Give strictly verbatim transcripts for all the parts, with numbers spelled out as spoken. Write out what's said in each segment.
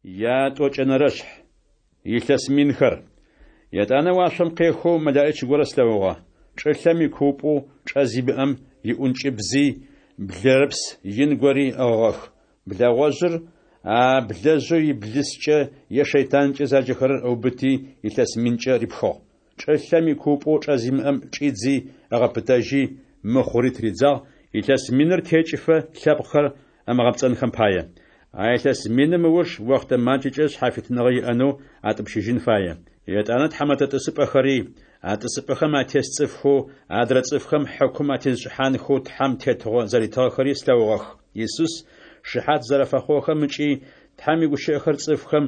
Ятӏокӏэнэрэшъхь. Илъэс минхэр. Етӏанэ уашъом къехэу мэлэӏич горэ слъэгъугъэ. Чӏылъэм икуупӏэу чӏэ зимыӏэм иӏункӏыбзи блэрыпс ин гори ыӏыгъыгъэх. Блэгъожъыр, а блэжъэу Иблыскӏэ е шэйтанкӏэ заджэхэрэр ыубыти, илъэс минкӏэ рипхыгъ. Чӏылъэм икуупӏэу чӏэ зимыӏэм чӏидзи ыгъэпытэжьи, мыхъури тыридзагъ, илъэс миныр текӏыфэ лъэпкъхэр ымыгъэпцӏэнхэм пае. А илъэс миным ыуж охътэ макӏэкӏэ шъхьафитныгъэ иӏэнэу атӏупщыжьын фае. Етӏанэ тхьэмэтэ тӏысыпӏэхэри, а тӏысыпӏэхэм атес цӏыфхэу адрэ цӏыфхэм хьыкум атезышӏыхьанхэу Тхьэм тетыгъо зэритыгъэхэри слъэгъугъэх. Исус шыхьат зэрэфэхъугъэхэм ыкӏи Тхьэм игущыӏэхэр цӏыфхэм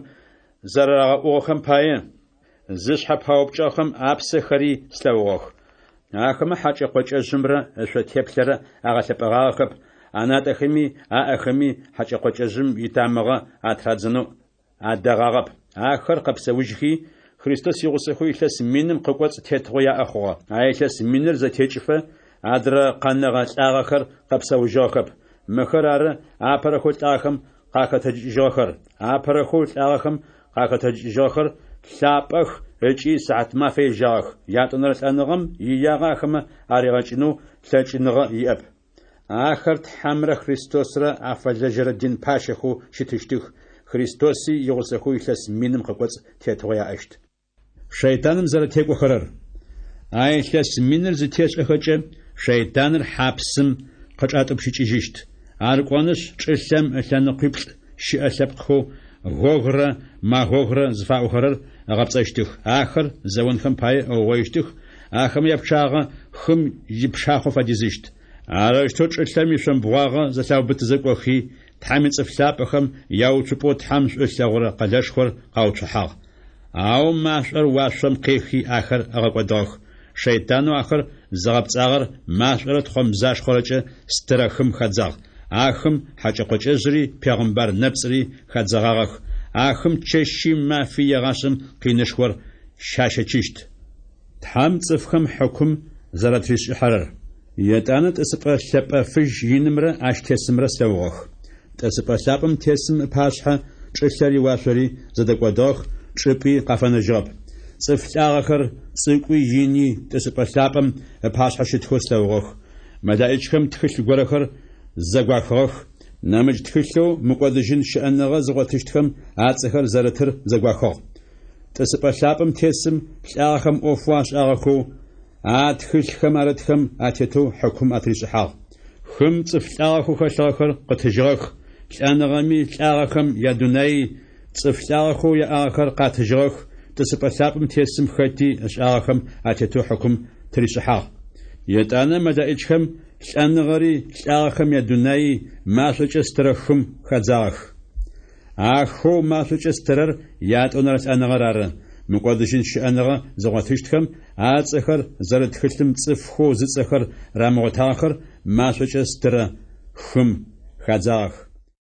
зэрарагъэӏугъэхэм пае, зышъхьэ паупкӏыгъэхэм апсэхэри слъэгъугъэх. Ахэмэ хьакӏэ-къокӏэжъымрэ ышъо теплъэрэ агъэлъэпӏэгъагъэхэп, анатӏэхэми аӏэхэми хьакӏэ-къокӏэжъым итамыгъэ атырадзэнэу адэгъагъэп. Ахэр къэпсэужьхи, Христос игъусэхэу илъэс миным къыкӏоцӏ тетыгъо яӏэ хъугъэ. А илъэс миныр зэтекӏыфэ, адрэ къэнэгъэ лӏагъэхэр къэпсэужьыгъэхэп. Мыхэр ары апэрэхэу лӏагъэхэм къахэтэджыкӏыжьыгъэхэр. Апэрэхэу лӏагъэхэм къахэтэджыкӏыжьыгъэхэр лъапӏэх ыкӏи сыхьатмафэ ежьагъэх. Ятӏонэрэ лӏэныгъэм иягъэ ахэмэ аригъэкӏынэу лъэкӏыныгъэ иӏэп. Ахэр Тхьэмрэ Христосрэ афэлэжьэрэ дин пащэхэу щытыщтых, Христоси игъусэхэу илъэс миным къыкӏоцӏ тетыгъо яӏэщт. Шэйтаным зэрэтекӏохэрэр. А илъэс миныр зытешӏэхэкӏэ, шэйтаныр хьапсым къычӏатӏупщыкӏыжьыщт. Ар кӏонышъ, чӏылъэм ылъэныкъуиплӏ щыӏэ лъэпкъхэу Гогрэ Магогрэ зыфаӏохэрэр ыгъэпцӏэщтых. Ахэр зэонхэм пае ыугъоищтых, ахэмэ япчъагъэ хым ипшахъо фэдизыщт. Арэущтэу чӏылъэм ишъомбгъуагъэ зэлъаубытызэ кӏохи, Тхьэм ицӏыф лъапӏэхэм яуцупӏэу Тхьэм шӏу ылъэгъурэ къэлэшхор къауцухьагъ. Ау машӏор уашъом къехи ахэр ыгъэкӏодыгъэх. Шэйтанэу ахэр зыгъэпцӏагъэр машӏорэ тхъомзашхъорэкӏэ стырэ хым хадзагъ. А хым хьакӏэ-къокӏэжъри пегъымбар нэпцӏри хадзэгъагъэх. А хым чэщи мафи егъашӏэм къинышхор щащэчыщт. Тхьэм цӏыфхэм хьыкум зэратришӏыхьэрэр. Етӏанэ тӏысыпӏэ лъэпӏэ фыжь инымрэ ащ тесымрэ слъэгъугъэх. Тӏысыпӏэ лъапӏэм тесым ыпашъхьэ чӏылъэри уашъори зэдэкӏодыгъэх, чӏыпӏи къафэнэжьыгъэп. Цӏыф лӏагъэхэр, цӏыкӏуи ини, тӏысыпӏэ лъапӏэм ыпашъхьэ щытхэу слъэгъугъэх. Мэлэӏичхэм тхылъ горэхэр зэгуахыгъэх, нэмыкӏ тхылъэу мыкӏодыжьын щыӏэныгъэ зыгъотыщтхэм ацӏэхэр зэрытыр зэгуахыгъ. Тӏысыпӏэ лъапӏэм тесым лӏагъэхэм ӏофэу ашӏагъэхэу а тхылъхэм арытхэм атетэу хьыкум атришӏыхьагъ. Хым цӏыф лӏагъэхэу хэлъыгъэхэр къытыжьыгъэх, лӏэныгъэми лӏагъэхэм ядунаий цӏыф лӏагъэхэу яӏагъэхэр къатыжьыгъэх, тӏысыпӏэ лъапӏэм тесым хэти ышӏагъэхэм атетэу хьыкум тыришӏыхьагъ. Етӏанэ мэлэӏичхэм лӏэныгъэри лӏагъэхэм ядунаий машӏокӏэ стырэ хым хадзагъэх. А хоу машӏокӏэ стырэр ятӏонэрэ лӏэныгъэр ары. Мыкӏодыжьын щыӏэныгъэ зыгъотыщтхэм ацӏэхэр зэрыт тхылъым цӏыфхэу зыцӏэхэр рамыгъотагъэхэр машӏокӏэ стырэ хым хадзагъэх.